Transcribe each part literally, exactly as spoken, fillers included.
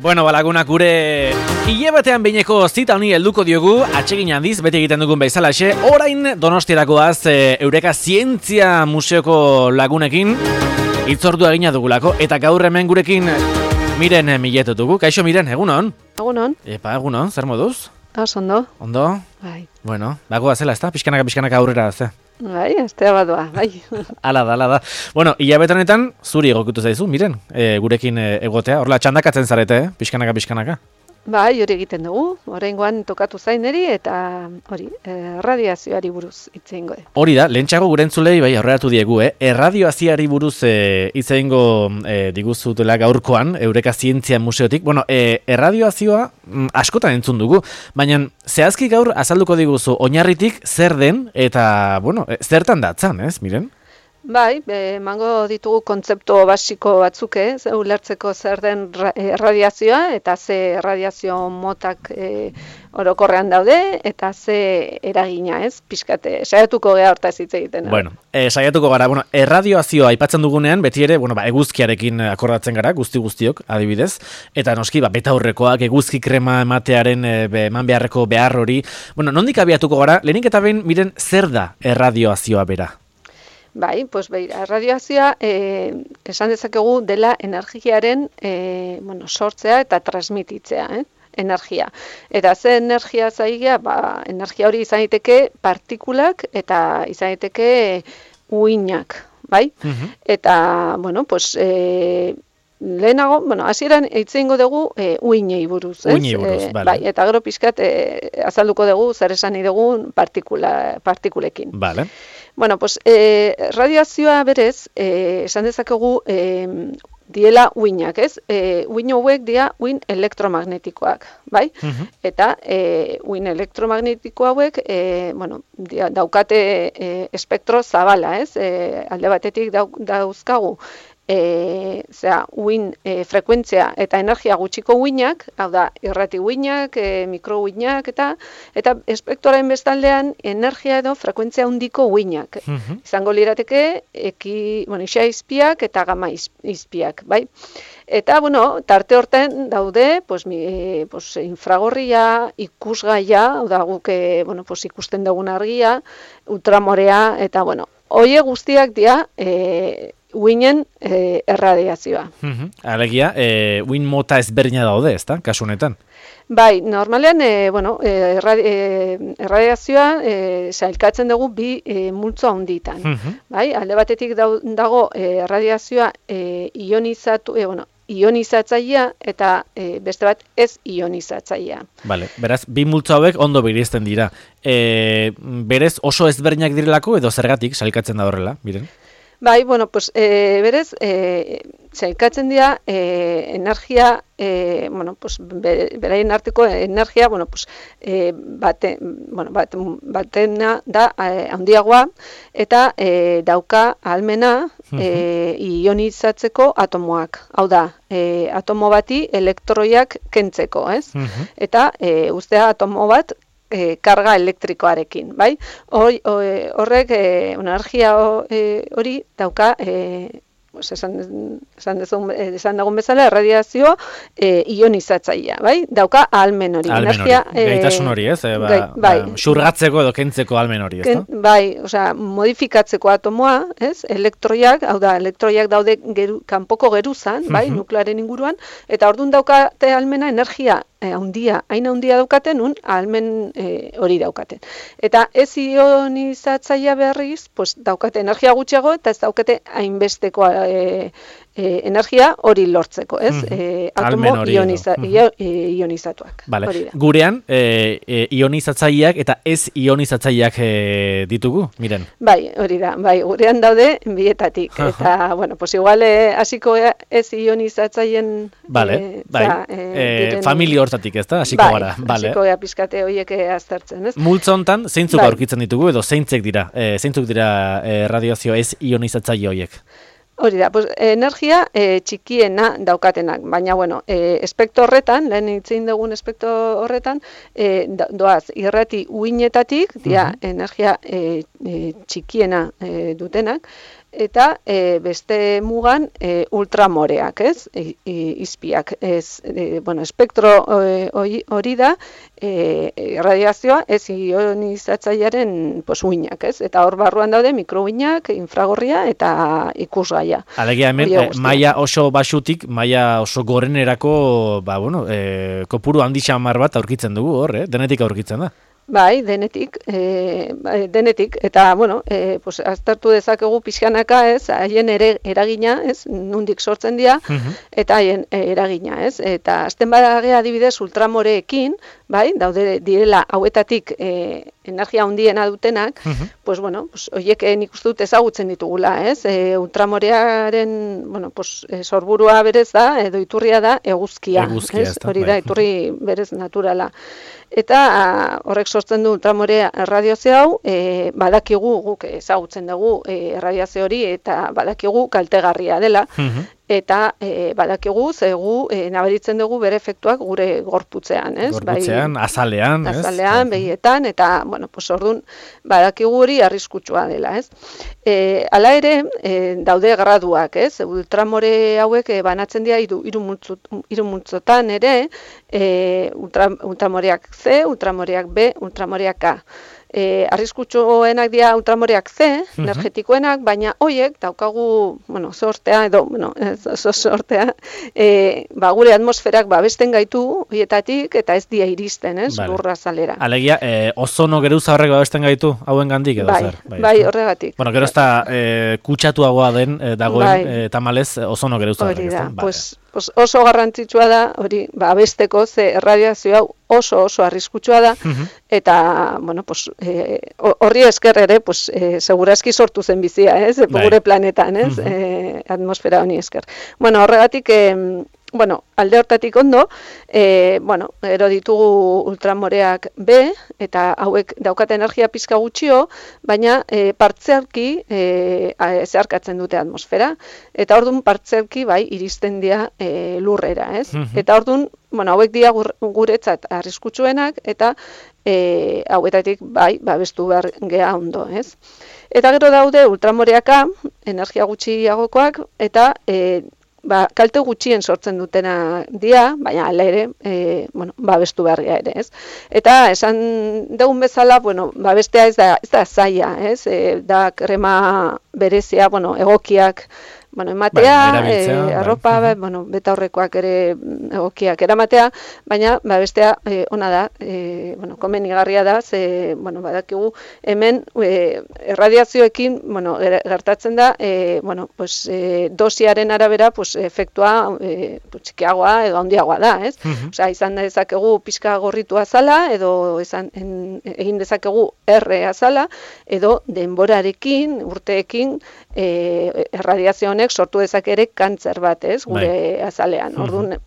Bueno, balagunak gure hilabetean behineko zita honi helduko diogu, atsegin handiz, beti egiten dugun bezalaxe, orain Donostiarakoaz e, Eureka Zientzia Museoko lagunekin hitzordua egina dugulako, eta gaur hemen gurekin Miren Mileto dugu. Kaixo Miren, egunon? Egunon. Epa, egunon, zer moduz? Az, ondo. Ondo? Bai. Bueno, bagoa zela, ezta? Pixkanaka, pixkanaka aurrera, ze? Bai, aztea badoa, bai. Ala da, ala da. Bueno, hilabetenetan zuri egokitu zaizu, Miren, e, gurekin e, egotea. Horla, txandakatzen zarete, eh? Pixkanaka, pixkanaka. Bai, hori egiten dugu. Oraingoan tokatu zaineri eta hori, eh, radiazioari buruz hitz egingo de. Hori da, lehentxago gure entzulei bai aurreratu diegu, eh? Erradioaziari buruz eh, hitz egingo eh, diguzutela gaurkoan, Eureka Zientzia Museotik. Bueno, eh, erradioazioa mm, askotan entzun dugu, baina zehazki gaur azalduko diguzu oinarritik zer den eta, bueno, eh, zertan datzan, ez, Miren? Bai, emango ditugu kontzeptu basiko batzuk, eh, ulertzeko zer den erradiazioa eta ze erradiazio motak e, orokorrean daude eta ze eragina, ez? Pixkate, saiatuko gea hortaz hitz egiten. Bueno, e, saiatuko gara, bueno, erradioazioa aipatzen dugunean, beti ere, bueno, ba, eguzkiarekin akordatzen gara, guzti guztiok, adibidez, eta noski, ba, betaurrekoak, eguzki krema ematearen e, be, eman beharreko behar hori. Bueno, nondik abiatuko gara, lehenik eta behin, Miren, zer da erradioazioa bera? Bai, pues beira, erradioazioa eh, esan dezakegu dela energiaren eh, bueno, sortzea eta transmititzea, eh? Energia. Eta ze energia zaigia, ba, energia hori izan daiteke partikulak eta izan daiteke uinak, bai? Uh-huh. Eta, bueno, pues... Eh, lehenago, bueno, hasieran hitz egingo dugu e, uinei buruz, ez? Uinei buruz, e, vale. Bai, eta gero pixkat e, azalduko dugu zer esan nahi dugun partikula, partikulekin. Vale. Bueno, pues, e, radiazioa berez, e, esan dezakegu e, diela uinak, ez? E, uin hauek dira uin elektromagnetikoak, bai? Uh-huh. Eta e, uin elektromagnetiko hauek, e, bueno, dia, daukate e, espektro zabala, ez? E, alde batetik dau, dauzkagu, E, zera, uin e, frekuentzia eta energia gutxiko uinak, hau da, irrati uinak, e, mikro uinak, eta eta espektroaren bestaldean energia edo frekuentzia handiko uinak. Uh-huh. Izango lirateke, eki, bueno, isa izpiak eta gama izpiak, bai? Eta, bueno, tarte horten daude, pues, mi, e, pues, infragorria, ikusgaia, hau da, guk, e, bueno, pues, ikusten dugun argia, ultramorea, eta, bueno, hoie guztiak dira, e, uinen e, erradiazioa. Uh-huh. Alegia, e, uin mota ezberdina daude, ezta, kasu honetan? Bai, normalean, e, bueno, e, erradi, e, erradiazioa e, sailkatzen dugu bi e, multzo handitan. Uh-huh. Bai, alde batetik dago e, erradiazioa e, ionizatu, e, bueno, ionizatzailea eta e, beste bat ez ionizatzailea. Vale, beraz, bi multzo hauek ondo bereizten dira. E, berez oso ezberdinak direlako edo zergatik sailkatzen da horrela, Miren? Bai, bueno, pues, e, berez, e, sailkatzen dira e, energia, e, bueno, pues, beraien arteko energia, bueno, pues, e, bate, bueno, bat, batena da e, handiagoa eta e, dauka ahalmena e, ionizatzeko atomoak. Hau da, e, atomo bati elektroiak kentzeko, ez? Uh-huh. Eta e, ustea atomo bat E, karga elektrikoarekin, bai? Hor, horrek e, energia hori e, dauka, e, pues esan, esan, dezun, esan dagoen bezala, erradiazio e, ionizatzailea, bai? Dauka ahalmen hori. Ahalmen hori, e, gaitasun hori, ez? E, ba, gai, bai. Ba, xurgatzeko edo kentzeko ahalmen hori, ez? Ken, bai, osea, modifikatzeko atomoa, ez? Elektroiak, hau da, elektroiak daude geru, kanpoko geruzan, bai? Uh-huh. Nuklearen inguruan, eta orduan daukate ahalmena energia handia, hain handia daukaten, un ahalmen e, hori daukaten. Eta ez ionizatzailea berriz, pues, daukate energia gutxiago eta ez daukate hainbesteko e, e, energia hori lortzeko, ez? Mm-hmm. E, atomo ioniza, mm-hmm. ionizatuak. Vale. Gurean, e, e, ionizatzaileak eta ez ionizatzaileak e, ditugu, Miren? Bai, hori da, bai, gurean daude bietatik. Uh-huh. Eta, bueno, pues igual hasiko e, ez ionizatzaileen vale, e, bai. Za, e, e, familia hortatik, ez da? Hasiko bai, gara. Vale. Hasiko gara pizkate horiek aztertzen, ez? Multzo hontan, zeintzuk bai. Aurkitzen ditugu edo zeintzek dira, e, zeintzuk dira e, radiazio ez ionizatzaile horiek? Hori da, pues, energia e, txikiena daukatenak, baina, bueno, e, espektro horretan, lehen hitzein dugun espektro horretan, e, doaz, irrati uinetatik, dia, uh-huh. energia e, e, txikiena e, dutenak, eta e, beste mugan e, ultramoreak, ez? I, i, izpiak, ez, e, bueno, espektro hori da, e, radiazioa ez ionizatzailearen pues, uinak, ez? Eta hor barruan daude mikrouinak, infragorria eta ikusgaia. Alegia hemen, e, maila oso basutik, maila oso gorenerako, ba, bueno, e, kopuru handi xamar bat aurkitzen dugu hor, eh? Denetik aurkitzen da. Bai, denetik, e, denetik, eta, bueno, e, pues, aztertu dezakegu pixkanaka, ez, haien ere eragina, ez, nundik sortzen dira, uh-huh. eta haien eragina, ez, eta azten badagea adibidez ultramoreekin, bai, daude direla hauetatik e, energia handiena dutenak, uh-huh. pues, bueno, pues, oiek nik uste dut ezagutzen ditugula, ez, e, ultramorearen, bueno, pues, e, sorburua berez da, edo iturria da, eguzkia, eguzkia ez, hori da, iturri berez naturala. Eta horrek sortzen du ultramore erradiazio hau, e, badakigu guk ezagutzen dugu e, erradiazio hori eta badakigu kaltegarria dela. Uh-huh. Eta e, badakigu zegu e, nabaritzen dugu bere efektuak gure gorputzean, ez? Gorputzean, bai, azalean, ez? Azalean, begietan, eta, bueno, pues orduan badakigu hori arriskutsua dela, ez? E, hala ere, e, daude graduak, ez? Ultramore hauek e, banatzen dira hiru hiru multzotan ere, e, ultra, ultramoreak C, ultramoreak B, ultramoreak A. E, arriskutsuenak dira ultramoreak C, uh-huh. energetikoenak, baina hoiek daukagu, bueno, sortea edo, bueno, ez oso sortea, e, ba, gure atmosferak babesten gaitu hoietatik eta ez dia iristen, ez, vale. Lurra zalera. Alegia, e, ozono geruza horrek babesten gaitu hauen gandik edo bai, zer? Bai, bai, horregatik. Bueno, gero ez da e, kutsatuagoa den e, dagoen bai. e, tamalez ozono geruza horrek. Hori da, pues, pues oso garrantzitsua da, hori, babesteko, ze erradiazio hau oso oso arriskutsua da, uh-huh. eta, bueno, pues, horri e, esker ere, pues, e, segurazki sortu zen bizia, ez, bai. Gure planetan, ez, uh-huh. e, atmosfera honi esker. Bueno, horregatik, e, bueno, alde hortatik ondo, e, bueno, ero ditugu ultramoreak B, eta hauek daukate energia pizka gutxio, baina e, partzialki e, zeharkatzen dute atmosfera, eta orduan partzialki bai iristen dira e, lurrera, ez? Uh-huh. Eta orduan, bueno, hauek dira guretzat arriskutsuenak, eta e, hauetatik bai, babestu behar geha ondo, ez? Eta gero daude ultramoreak A, energia gutxiagokoak, eta e, ba, kalte gutxien sortzen dutena dia, baina ala ere, e, bueno, babestu beharria ere, ez? Eta esan dugun bezala, bueno, babestea ez da, ez da zaila, ez? E, da krema berezia, bueno, egokiak, bueno, ematea, bai, e, arropa, bai. Bueno, beta horrekoak ere egokiak eramatea, baina babestea e, ona da, e, bueno, komenigarria da, ze, bueno, badakigu hemen e, erradiazioekin, bueno, gertatzen da, e, bueno, pues, e, dosiaren arabera, pues, efektua e, txikiagoa edo handiagoa da, ez? Uh-huh. Osea, izan dezakegu pixka gorritua zala, edo izan, en, egin dezakegu erre azala, edo denborarekin, urteekin, e, erradiazio honek sortu dezake ere kantzer bat, ez, gure bai. Azalean. Orduan,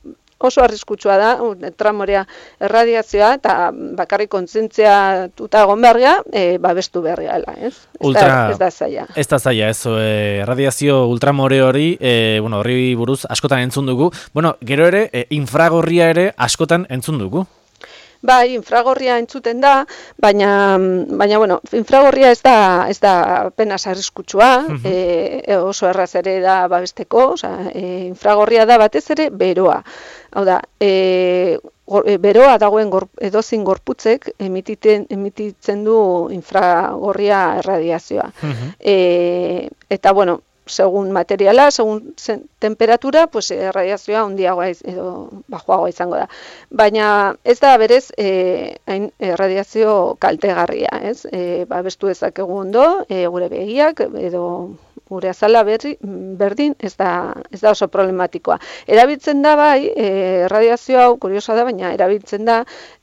oso arriskutsua da, ultramorea erradiazioa, eta bakarrik kontzientzia tuta egon beharria, e, babestu beharria, ez? Ultra, ez da zaila. Ez da zaila, ez, e, erradiazio ultramore hori, e, bueno, horri buruz askotan entzun dugu, bueno, gero ere, e, infragorria ere askotan entzun dugu. Bai, infragorria entzuten da, baina, baina bueno, infragorria ez da, ez da apenas arriskutsua, uh-huh. e, oso erraz ere da babesteko, osea, e, infragorria da batez ere beroa. Hau da, e, gor, e, beroa dagoen gor, edozin gorputzek emititzen, emititzen du infragorria erradiazioa. Uh-huh. E, eta, bueno, segun materiala, segun zen, temperatura, pues erradiazioa handiagoa edo bajoagoa izango da. Baina ez da berez eh hain erradiazio kaltegarria, ez? Eh babestu dezakegu ondo, e, gure begiak edo gure azala berri, berdin ez da, ez da oso problematikoa. Erabiltzen da bai, e, erradiazio hau kuriosa da, baina erabiltzen da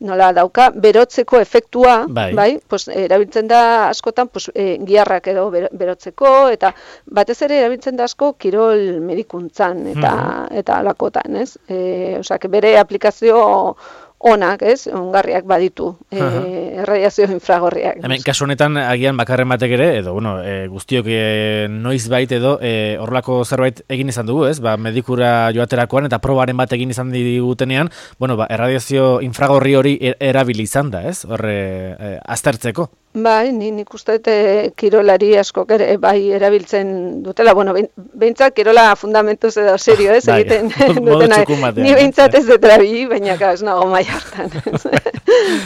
nola dauka berotzeko efektua, bai, bai pues, erabiltzen da askotan pues, e, giharrak edo berotzeko, eta batez ere erabiltzen da asko kirol medikuntzan eta hmm. eta alakotan, ez? E, Osak, bere aplikazio onak, ez, ongarriak baditu, e, erradiazio infragorriak. Hemen, kasu honetan, agian bakarren batek ere, edo, bueno, e, guztiok e, noiz bait edo, e, horrelako zerbait egin izan dugu, ez, ba, medikura joaterakoan eta probaren bat egin izan digutenean, bueno, ba, erradiazio infragorri hori erabili izan da, ez, horre, e, aztertzeko. Bai, ni nik uste dut kirolari askok ere bai erabiltzen dutela, bueno, behintzat kirola fundamentuz edo serio, ez, egiten dutena, ni behintzat ez dut erabili, baina ez nago mai hartan.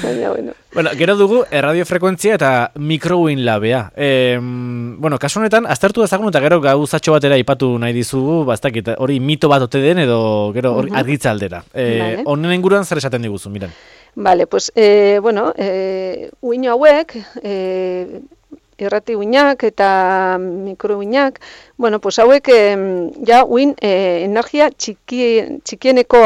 Baina, bueno. Bueno, gero dugu erradiofrekuentzia eta mikrouin labea. E, bueno, kasu honetan, aztertu dezagun eta gero gauzatxo batera ipatu nahi dizugu, bastakit, hori mito bat ote den edo gero hori uh-huh. argitza aldera. E, honen vale. Inguruan zer esaten diguzu, miren. Vale, pues, eh, bueno, eh, uino hauek, eh, irrati uinak eta mikro uinak, bueno, pues hauek eh, ja uin eh, energia txiki, txikieneko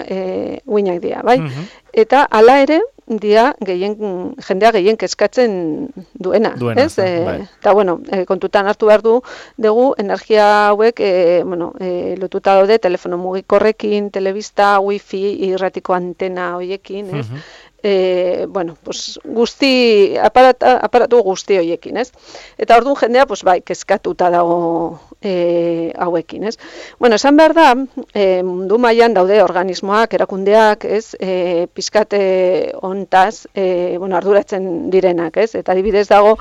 eh, uinak dira, bai? Uh-huh. Eta hala ere, dia gehien, jendea gehien kezkatzen duena, duena ez? Eta, bai. bueno, e, kontutan hartu behar du, dugu, energia hauek, e, bueno, e, lotuta daude, telefono mugikorrekin, telebista, wifi, irratiko antena hoiekin, ez? Uh-huh. E, bueno, pues, guzti, aparata, aparatu guzti hoiekin, ez? Eta orduan jendea, pues, bai, kezkatuta dago e, hauekin, ez? Bueno, esan behar da, e, mundu mailan daude organismoak, erakundeak, ez? E, pizkate hontaz, e, bueno, arduratzen direnak, ez? Eta adibidez dago,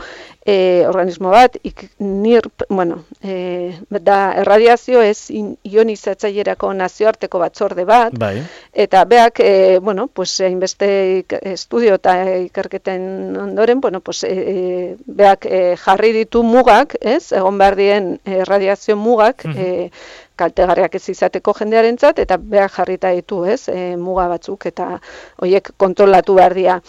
e, organismo bat, ik, nir, bueno, e, da erradiazio ez ionizatzailerako nazioarteko batzorde bat, bai. Eta beak, e, bueno, pues, hainbeste estudio eta ikerketen ondoren, bueno, pues, e, beak e, jarri ditu mugak, ez? Egon behar dien erradiazio mugak, uh-huh. e, kaltegarriak ez izateko jendearentzat, eta beak jarrita ditu, ez? E, muga batzuk, eta horiek kontrolatu behar dira.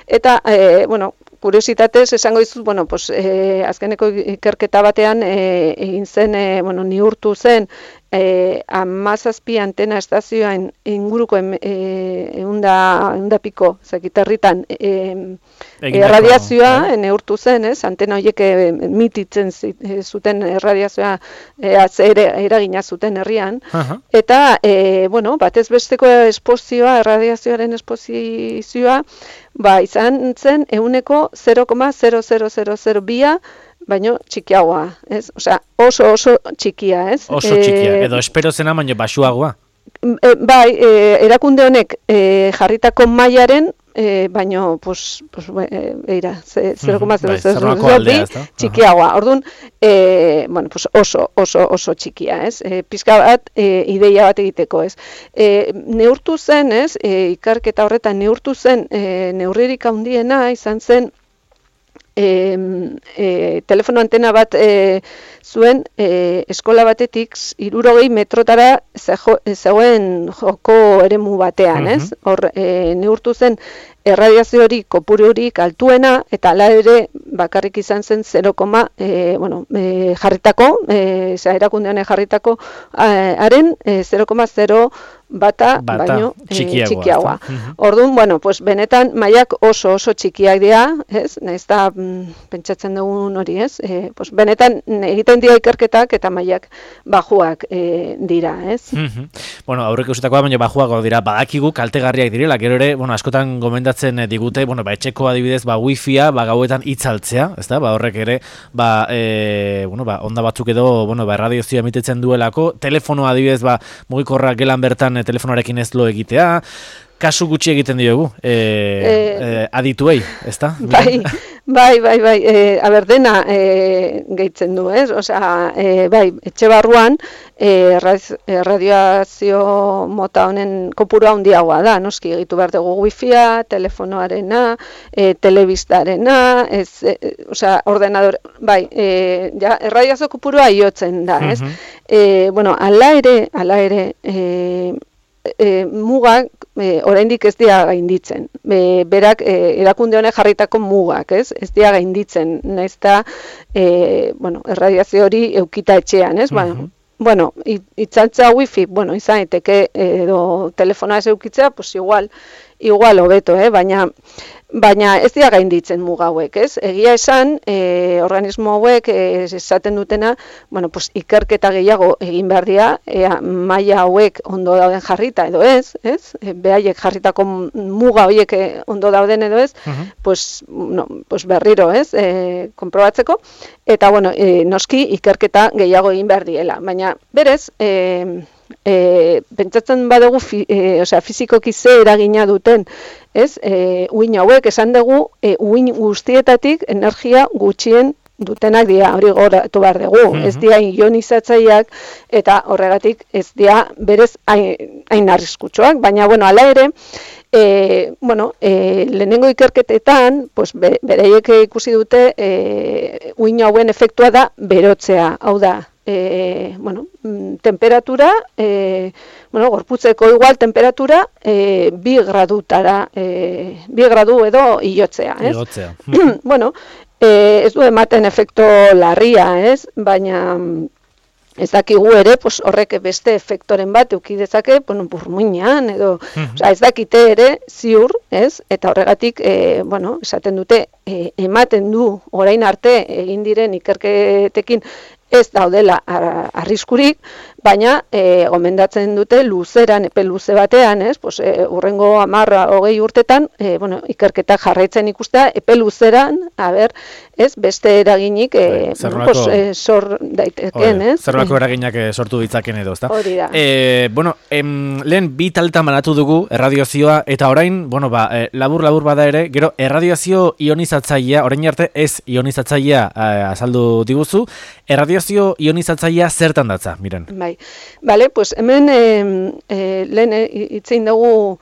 Eta, e, bueno, kuriositatez, esango dizut, bueno, pues, e, azkeneko ikerketa batean e, egin zen, e, bueno, niurtu zen, e, amazazpi antena estazioan inguruko eunda e, piko, zakitarritan, e, erradiazioa e, neurtu zen, ez? Antena horiek e, mititzen zuten erradiazioa e, atzere eragina zuten herrian, uh-huh. eta, e, bueno, batez besteko esposizioa, erradiazioaren esposizioa, ba, izan zen euneko zero koma zero zero zero zero bia, baino txikiagoa, ez? Osea, oso oso txikia, ez? Oso txikia, e, edo espero zena baino baxuagoa. E, bai, e, erakunde honek e, jarritako mailaren E, baino, pues, pues, eira, zero koma zero zero zero bi txikiagoa. Orduan, e, bueno, pues oso, oso, oso txikia, ez? E, pizka bat, e, ideia bat egiteko, ez? E, neurtu zen, ez? E, ikarketa horretan neurtu zen, e, neurririk handiena izan zen, E, e, telefono antena bat e, zuen e, eskola batetik hirurogei metrotara zegoen joko eremu batean, ez? Hor e, neurtu zen erradiazio hori kopuru horik altuena, eta hala ere bakarrik izan zen zero, e, bueno, e, jarritako, e, erakunde honek jarritako haren e, zero koma zero bata, bata baino txikiagoa. E, txikiagoa. Uh-huh. Orduan, bueno, pues benetan mailak oso oso txikiak dira, ez? Naiz da mm, pentsatzen dugun hori, ez? E, pues benetan egiten dira ikerketak eta mailak bajuak e, dira, ez? Uh-huh. Bueno, aurreko usutakoa baino bajuago dira, badakigu kaltegarriak direla, gero ere, bueno, askotan gomendatzen digute, bueno, ba etxeko adibidez, ba wifia, ba gauetan itzaltzea, ezta? Ba horrek ere, ba e, bueno, ba onda batzuk edo, bueno, ba erradiazioa emitetzen duelako, telefonoa adibidez, ba mugikorra gelan bertan telefonoarekin ez lo egitea, kasu gutxi egiten diogu, e, e, e, adituei, ezta? Bai, bai, bai, bai, e, aber dena e, gehitzen du, ez? Osea, e, bai, etxe barruan, e, radioazio mota honen kopuru handiagoa da, noski egitu behar dugu wifia, telefonoarena, e, telebistarena, ez, e, osea, ordenador, bai, e, ja, erradiazio kopurua iotzen da, ez? Uh-huh. E, bueno, ala ere, ala ere, e, E, mugak e, oraindik ez dira gainditzen. E, berak e, erakunde honek jarritako mugak, ez? Ez dira gainditzen, naiz eta e, bueno, erradiazio hori eukita etxean, ez? Uh-huh. Bueno, itzaltza wifi, bueno, izan daiteke edo telefonoa ez eukitzea, pues igual, igual hobeto, eh? Baina Baina ez dira gainditzen muga hauek, ez? Egia esan, e, organismo hauek e, esaten dutena, bueno, pues, ikerketa gehiago egin behar dira, ea maila hauek ondo dauden jarrita edo ez, ez? E, behaiek jarritako muga horiek ondo dauden edo ez, uh-huh. pues, no, pues berriro, ez? E, konprobatzeko, eta bueno, e, noski ikerketa gehiago egin behar diela. Baina berez, e, e, pentsatzen badugu fi, e, osea, fizikoki ze eragina duten, ez? E, uhin hauek esan dugu e, uhin guztietatik energia gutxien dutenak dira, hori goratu behar dugu, mm-hmm. ez dira ionizatzaileak eta horregatik ez dira berez hain, hain arriskutsuak, baina bueno, hala ere, e, bueno, e, lehenengo ikerketetan, pues, be, bereiek ikusi dute e, uhin hauen efektua da berotzea, hau da, e, bueno, temperatura, e, bueno, gorputzeko igual temperatura e, bi gradutara, e, bi gradu edo ilotzea, ez? Ilotzea. Bueno, E, ez du ematen efekto larria, ez? Baina ez dakigu ere, pues, horrek beste efektoren bat eduki dezake, bueno, burmuinean edo, mm-hmm. Osa, ez dakite ere ziur, ez? Eta horregatik, e, bueno, esaten dute, e, ematen du orain arte egin diren ikerketekin ez daudela arriskurik, baina e, gomendatzen dute luzeran, epe luze batean, ez? Pues, e, urrengo hamarra hogei urtetan, e, bueno, ikerketak jarraitzen ikustea, epe luzeran, a ber, ez, beste eraginik e, bueno, pues, e, sor daiteken, ez? Zerrako eraginak sortu ditzaken edo, ezta? Hori da. E, bueno, em, lehen bi taldetan banatu dugu erradiazioa, eta orain, bueno, ba, e, labur-labur bada ere, gero erradiazio ionizatzailea, orain arte ez ionizatzailea e, azaldu diguzu, erradiazio ionizatzailea zertan datza, miren? Bai. Vale, pues hemen eh, eh, lehen hitzein dugu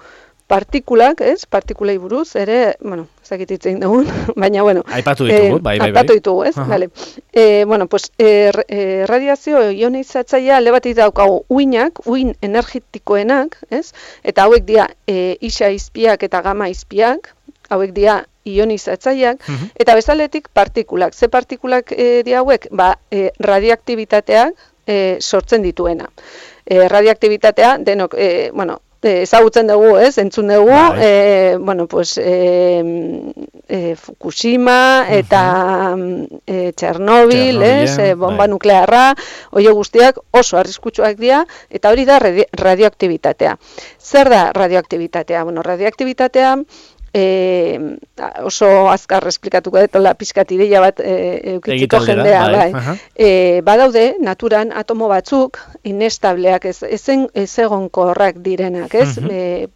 partikulak, ez? Partikulei buruz, ere, bueno, ezakit hitzein dugu, baina, bueno. Aipatu ditugu, eh, bai, bai, bai. Aipatu ditugu, ez? Uh-huh. Vale. Eh, bueno, pues, eh, eh, radiazio ionizatzailea alde batik daukagu uinak, uin energetikoenak, ez? Eta hauek dira eh, isa izpiak eta gama izpiak, hauek dira ionizatzaileak, uh-huh. Eta bezaletik partikulak. Ze partikulak eh, dira hauek? Ba, eh, radioaktibitateak, E, sortzen dituena. E, radioaktibitatea, denok, e, bueno, e, ezagutzen dugu, ez, entzun dugu, e, bueno, pues, e, e, Fukushima eta uh-huh. e, Txernobil, ez, e, bomba bai. Nuklearra, oie guztiak oso arriskutsuak dira, eta hori da radi- radioaktibitatea. Zer da radioaktibitatea? Bueno, radioaktibitatea, E, oso azkar esplikatuko dut, la pizkat ideia bat e, eukitziko jendea, bai. bai. E, badaude, naturan atomo batzuk, inestableak, ez, ezen, ez egonkorrak direnak, ez? Uh-huh. E,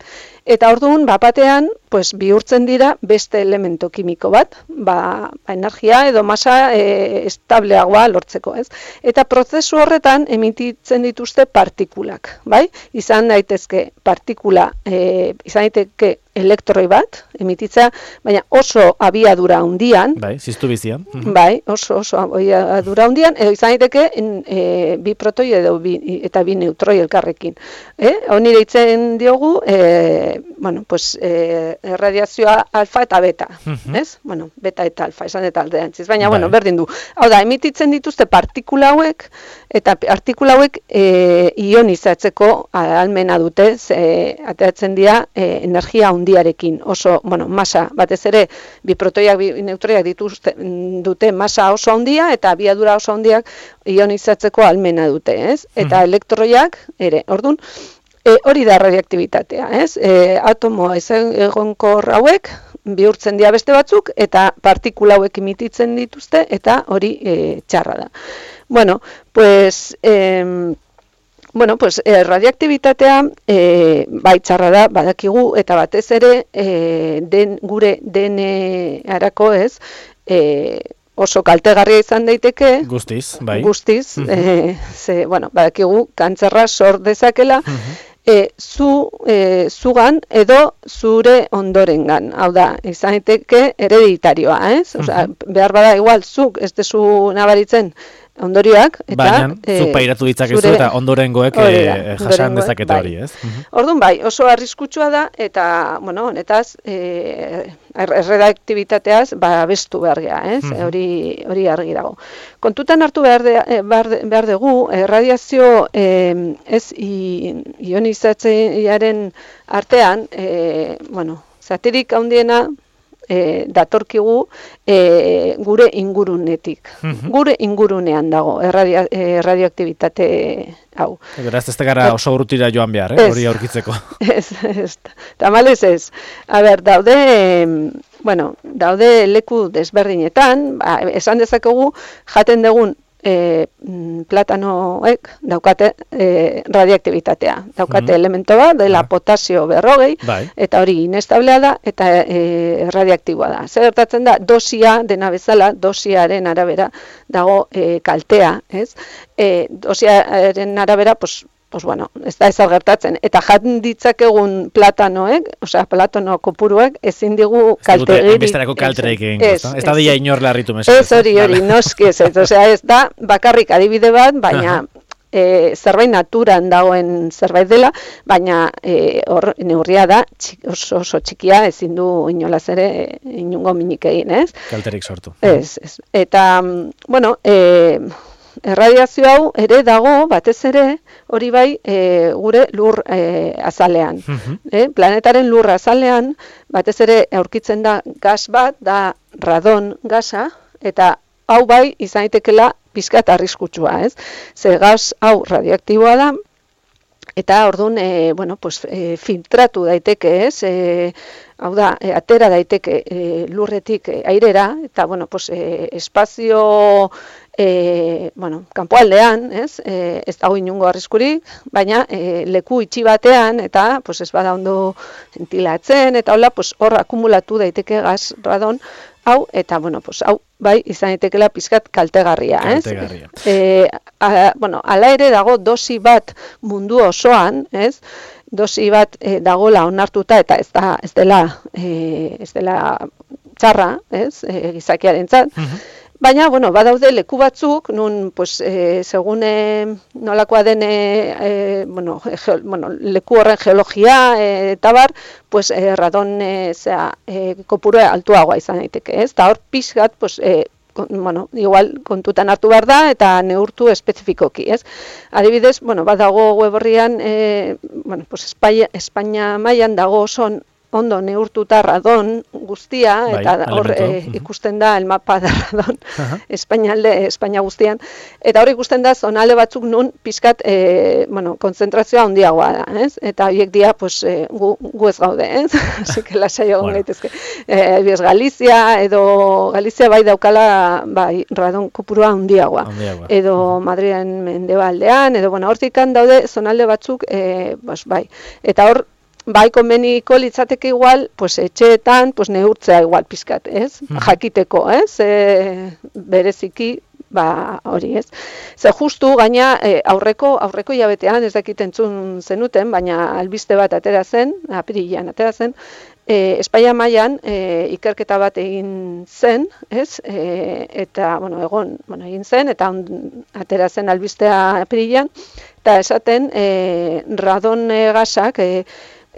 eta orduan, bapatean, pues, bihurtzen dira beste elemento kimiko bat, ba, energia edo masa e, estableagoa lortzeko, ez? Eta prozesu horretan emititzen dituzte partikulak, bai? Izan daitezke partikula, e, izan daiteke elektroi bat, emititzea, baina oso abiadura handian. Bai, ziztu bizian. Uh-huh. Bai, oso, oso abiadura handian, edo izan daiteke e, bi protoi edo bi, eta bi neutroi elkarrekin. Eh? Honi deitzen diogu, e, bueno, pues, e, radiazioa alfa eta beta, uh-huh. Ez? Bueno, beta eta alfa, esan eta aldeantziz, baina, bai. Bueno, berdin du. Hau da, emititzen dituzte partikula hauek, eta partikula hauek e, ionizatzeko ahalmena dute, ze, ateratzen dira e, energia handiarekin, oso, bueno, masa, batez ere, bi protoiak, bi neutroiak dituzte, dute masa oso handia, eta abiadura oso handiak ionizatzeko ahalmena dute, ez? Eta uh-huh. elektroiak, ere, ordun, E, hori da radioaktibitatea, ez? E, atomo egonkor hauek bihurtzen dira beste batzuk eta partikula hauek emititzen dituzte eta hori e, txarra da. Bueno, pues eh, bueno, pues eh, radioaktibitatea eh, bai txarra da, badakigu eta batez ere eh, den gure D N A-arako, ez? Eh, oso kaltegarria izan daiteke. Guztiz, bai. Guztiz, uh-huh. eh, ze, bueno, badakigu kantzerra sor dezakela, uh-huh. E, zu, e, zugan edo zure ondorengan. Hau da, izan daiteke hereditarioa, ez? Osea, uh-huh. behar bada igual zuk ez dezu nabaritzen ondorioak, eta baina, e, zuk pairatu ditzakezu zure, eta ondorengoek e, jasan dezakete bai. Hori, ez? Uh-huh. Orduan bai, oso arriskutsua da, eta, bueno, honetaz, e, erredaktibitateaz, ba, bestu behar gea, ez? Uh-huh. Hori, hori argi dago. Kontutan hartu behar, de, behar, de, behar dugu, erradiazio eh, ez ionizatzeiaren artean, eh, bueno, zatirik handiena, E, datorkigu e, gure ingurunetik. Uh-huh. Gure ingurunean dago erradio, e, radioaktibitate hau. Beraz, ez gara oso urrutira joan behar, eh? Hori aurkitzeko. Ez, ez. Tamalez ez. A ber, daude, bueno, daude leku desberdinetan, ba, esan dezakegu jaten dugun e, platanoek daukate e, radioaktibitatea. Daukate mm. elemento bat, dela ah. potasio berrogei, bai. Eta hori inestablea da, eta e, radioaktiboa da. Zer gertatzen da, dosia dena bezala, dosiaren arabera dago e, kaltea, ez? E, dosiaren arabera, pues, pues bueno, ez da ezer gertatzen. Eta jan ditzakegun platanoek, osea, platano kopuruek, ezin digu kaltegirik. Bestarako kalterik egin, ez da dia inor larritu mesu. Ez hori, hori, noski ez, osea, ez da bakarrik adibide bat, baina e, zerbait naturan dagoen zerbait dela, baina e, hor neurria da, txik, oso, oso txikia, ezin du inolaz ere inungo minik egin, ez? Kalterik sortu. Ez, ez. Eta, bueno, e, erradiazio hau ere dago, batez ere, hori bai, e, gure lur e, azalean. Uh-huh. E, planetaren lur azalean, batez ere aurkitzen da gas bat, da radon gasa, eta hau bai izan daitekela pizkat arriskutsua, ez? Ze gas hau radioaktiboa da, eta orduan, e, bueno, pues, e, filtratu daiteke, ez? E, hau da, e, atera daiteke e, lurretik e, airera, eta, bueno, pues, e, espazio E, bueno, kanpoaldean, ez, e, ez dago inungo arriskurik, baina e, leku itxi batean, eta pues, ez bada ondo ventilatzen, eta hola, pues, hor akumulatu daiteke gas radon, hau, eta, bueno, pues, hau, bai, izan daitekela pizkat kaltegarria, ez? Kaltegarria. E, a, bueno, ala ere dago dosi bat mundu osoan, ez? Dosi bat e, dagola onartuta, eta ez, da, ez dela, e, ez dela txarra, ez? E, gizakiarentzat. Uh-huh. Baina, bueno, badaude leku batzuk, nun, pues, e, segun e, nolakoa den, e, bueno, ge, bueno, leku horren geologia e, eta bar, pues, e, radon e, zera, e, kopuru altuagoa izan daiteke, ez? Eta hor pixkat, pues, e, kon, bueno, igual kontutan hartu behar da, eta neurtu espezifikoki, ez? Adibidez, bueno, badago web horrian, e, bueno, pues, Espainia, Espainia mailan dago oso ondo neurtuta radon guztia, bai, eta hor e, ikusten da el mapa da radon uh-huh. Espainialde, Espainia guztian, eta hor ikusten da zonalde batzuk nun pizkat e, bueno, konzentrazioa handiagoa da, ez? Eta horiek dia, pues, e, gu, gu ez gaude, ez? Así que lasai egon bueno. gaitezke. E, Biz Galizia, edo Galizia bai daukala bai, radon kopurua handiagoa. handiagoa. Edo uh-huh. Madrilen mendebaldean, edo, bueno, hortikan daude zonalde batzuk, e, pues, bai. Eta hor, bai, konbeniko litzateke igual, pues, etxeetan, pues, neurtzea igual pizkat, ez? Hmm. Jakiteko, ez? E, bereziki, ba, hori, ez? Ze justu, gaina, e, aurreko, aurreko hilabetean, ez dakit entzun zenuten, baina albiste bat atera zen, apirilean atera zen, e, Espainia mailan e, ikerketa bat egin zen, ez? E, eta, bueno, egon, bueno, egin zen, eta on, atera zen albistea apirilean, eta esaten, e, radon e, gasak, e,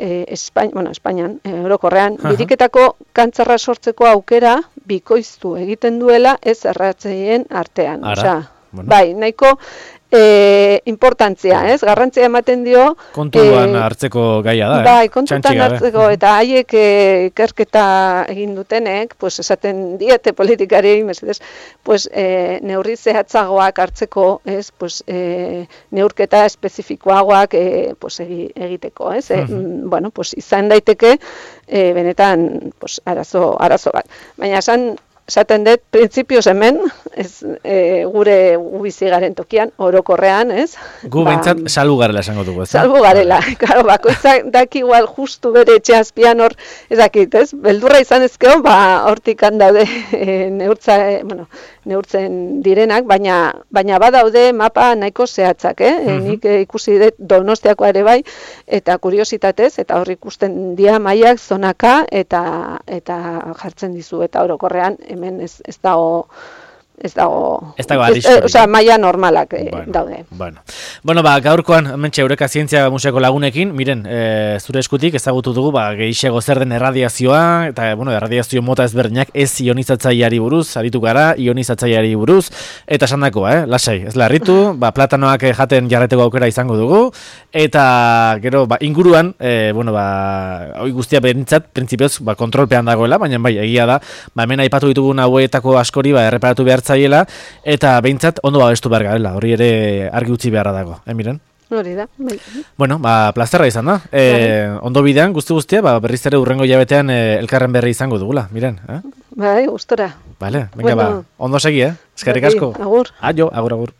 E, Espain, bueno, Espainian, e, orokorrean, uh-huh. biriketako kantzarra sortzeko aukera bikoiztu egiten duela ez erratzeien artean. Osea, bueno. Bai, nahiko e, importantzia, ez? Garrantzia ematen dio... Kontuan e, hartzeko gaia da, eh? Bai, kontuan hartzeko, eta haiek ikerketa e, egin dutenek, pues, esaten diete politikari, mesedez, pues, e, neurri zehatzagoak hartzeko, ez? Pues, e, neurketa espezifikoagoak e, pues, egiteko, ez? E, uh-huh. Bueno, pues, izan daiteke, e, benetan, pues, arazo, arazo bat. Baina, esan... Esaten dut, printzipioz hemen, ez, e, gure bizi garen tokian, orokorrean, ez? Gu ba, behintzat salbu garela esango dugu, ez? Salbu garela, claro, bakoitzak daki igual justu bere etxe azpian hor, ezakit, ez? Beldurra izan ezkeo, ba, hortik handaude e, neurtza, e, bueno, neurtzen direnak, baina baina badaude mapa nahiko zehatzak, eh? Uh-huh. Nik e, ikusi dut Donostiakoa ere bai, eta kuriositatez, eta hor ikusten dia mailak zonaka, eta eta jartzen dizu, eta orokorrean, hemen ez, ez dago ez dago, ez dago arriskurik. Osea, maila normalak eh, bueno, daude. Bueno. Bueno, ba, gaurkoan, hementxe Eureka Zientzia Museoko lagunekin, miren, e, zure eskutik ezagutu dugu, ba, gehiago zer den erradiazioa, eta, bueno, erradiazio mota ezberdinak ez ionizatzaileari buruz, aritu gara, ionizatzaileari buruz, eta esan dakoa, eh, lasai, ez larritu, ba, platanoak jaten jarreteko aukera izango dugu, eta, gero, ba, inguruan, e, bueno, ba, hoi guztia behintzat, printzipioz, ba, kontrolpean dagoela, baina bai, egia da, ba, hemen aipatu ditugun hauetako askori, ba, erreparatu behar zaiela, eta behintzat ondo babestu behar garela, hori ere argi utzi beharra dago, eh, miren? Hori da. Bai. Bueno, ba, plazerra izan da. E, ondo bidean, guzti guztia, ba, berriz ere urrengo jabetean e, elkarren berri izango dugula, miren, eh? Bai, gustora. Vale, venga, Bueno. ba, ondo segi, eh? Eskerrik Bai, asko. agur. Aio, agur, agur.